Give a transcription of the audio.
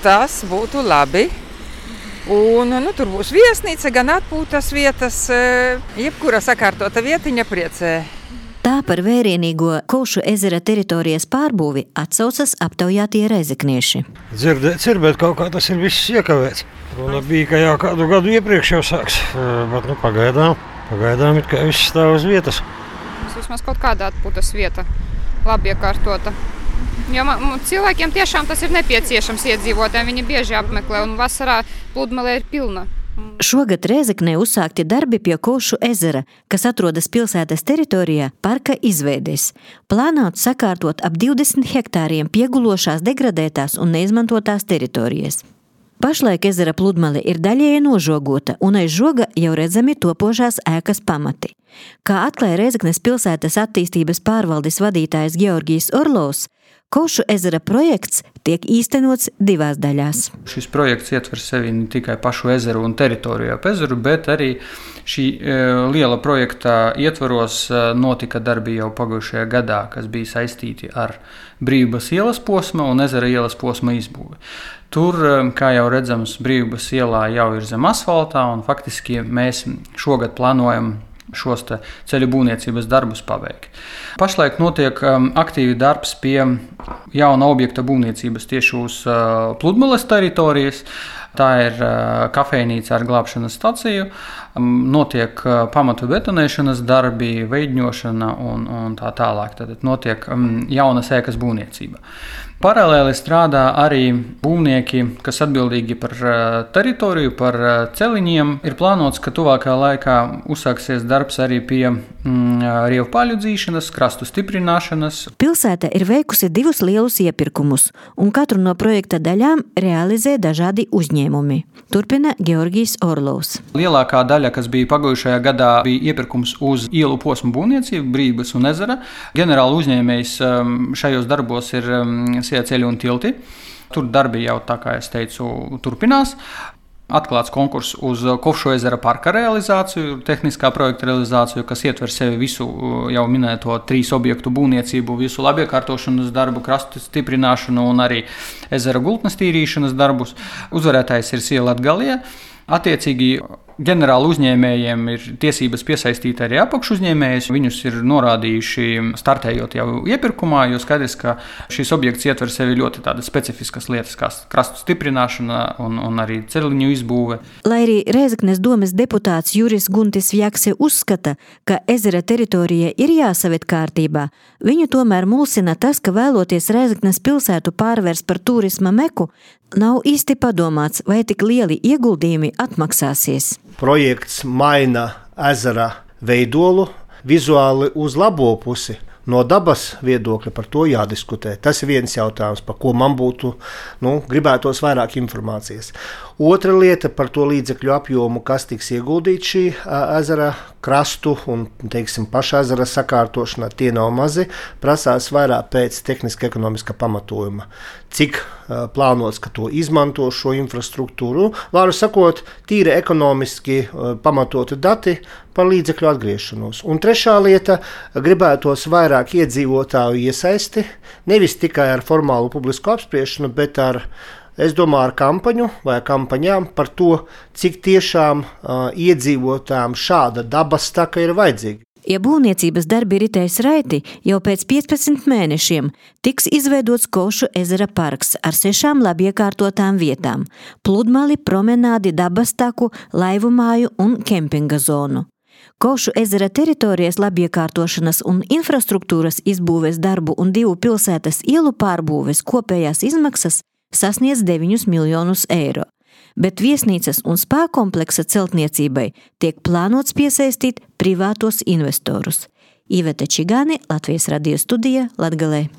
Tas būtu labi. Un, tur būs viesnīca, gan atpūtas vietas, jebkura sakārtota vietiņa priecē. Tā par vērienīgo Kovšu ezera teritorijas pārbūvi atsaucas aptaujātie reizeknieši. Dzirdēts ir, bet kaut kā tas ir viss iekavēts. Runa bija, ka jau kādu gadu iepriekš jau sāks, bet pagaidām it kā viss stāv uz vietas. Vismaz kaut kāda atpūtas vieta, labi iekārtota. Jo cilvēkiem tiešām tas ir nepieciešams iedzīvotājiem, viņi bieži apmeklē un vasarā pludmale ir pilna. Šogad Rēzeknē uzsākti darbi pie Kovšu ezera, kas atrodas pilsētas teritorijā parka izveidēs. Plānots sakārtot ap 20 hektāriem piegulošās degradētās un neizmantotās teritorijas. Pašlaik ezera pludmale ir daļēji nožogota un aiz žoga jau redzami topošās ēkas pamati. Kā atklāja Rēzeknes pilsētas attīstības pārvaldes vadītājs Georgijs Orlovs, Kovšu ezera projekts tiek īstenots 2 daļās. Šis projekts ietver sevi ne tikai pašu ezeru un teritoriju ap ezeru, bet arī šī liela projekta ietvaros notika darbi jau pagājušajā gadā, kas bija saistīti ar Brīvības ielas posma un ezera ielas posma izbūvi. Tur, kā jau redzams, Brīvības ielā jau ir zem asfaltā un faktiski mēs šogad plānojam šos ceļu būvniecības darbus paveikt. Pašlaik notiek aktīvi darbs pie jauna objekta būvniecības tieši uz pludmales teritorijas. Tā ir kafejnīca ar glābšanas staciju, notiek pamatu betonēšanas darbi, veidņošana un tā tālāk. Tad notiek jaunas ēkas būvniecība. Paralēli strādā arī būvnieki, kas atbildīgi par teritoriju, par celiņiem. Ir plānots, ka tuvākā laikā uzsāksies darbs arī pie rievpaļu dzīšanas, krastu stiprināšanas. Pilsēta ir veikusi 2 lielus iepirkumus, un katru no projekta daļām realizē dažādi uzņēmumi. Turpina Georgijs Orlovs. Lielākā daļa, kas bija pagājušajā gadā, bija iepirkums uz ielu posmu būvniecību, Brīvības un ezera. Ģenerāla uzņēmējs šajos darbos ir ceļi un tilti. Tur darbi jau, tā kā es teicu, turpinās. Atklāts konkurss uz Kovšu ezera parka realizāciju, tehniskā projekta realizāciju, kas ietver sevi visu jau minēto 3 objektu būvniecību, visu labiekārtošanas darbu, krastu stiprināšanu un arī ezera gultnes tīrīšanas darbus. Uzvarētājs ir Sija Latgalija. Attiecīgi ģenerāla uzņēmējiem ir tiesības piesaistīt arī apakšuzņēmējus. Viņus ir norādījuši startējot jau iepirkumā, jo skaidrs, ka šis objekts ietver sevi ļoti tādas specifiskas lietas, kā krastu stiprināšana un arī celiņu izbūve. Lai arī Rēzeknes domes deputāts Juris Guntis Vjakse uzskata, ka ezera teritorija ir jāsaved kārtībā, viņu tomēr mulsina tas, ka vēloties Rēzeknes pilsētu pārvērst par turisma meku, nav īsti padomāts, vai tik lieli ieguldījumi atmaksāsies. Projekts maina ezera veidolu vizuāli uz labo pusi. No dabas viedokļa par to jādiskutē. Tas ir viens jautājums, par ko man būtu gribētos vairāk informācijas. Otra lieta par to līdzekļu apjomu, kas tiks ieguldīts šī ezera krastu un, paša ezera sakārtošanā, tie nav mazi. Prasās vairāk pēc tehniska ekonomiska pamatojuma. Cik plānots, ka to izmanto šo infrastruktūru. Vārdu sakot, tīri ekonomiski pamatoti dati par līdzekļu atgriešanos. Un trešā lieta, gribētos vairāk iedzīvotāju iesaisti, nevis tikai ar formālu publisku apspriešanu, bet ar kampaņu vai kampaņām par to, cik tiešām iedzīvotājiem šāda dabas taka ir vajadzīga. Ja būvniecības darbi ritēs raiti, jau pēc 15 mēnešiem tiks izveidots Kovšu ezera parks ar 6 labi iekārtotām vietām – pludmali, promenādi, dabas taku, laivu māju un kempinga zonu. Kovšu ezera teritorijas labiekārtošanas un infrastruktūras izbūves darbu un 2 pilsētas ielu pārbūves kopējās izmaksas sasniedz 9 miljonus eiro. Bet viesnīcas un spā kompleksa celtniecībai tiek plānots piesaistīt privātos investorus. Iveta Čigāne, Latvijas radio studija, Latgalē.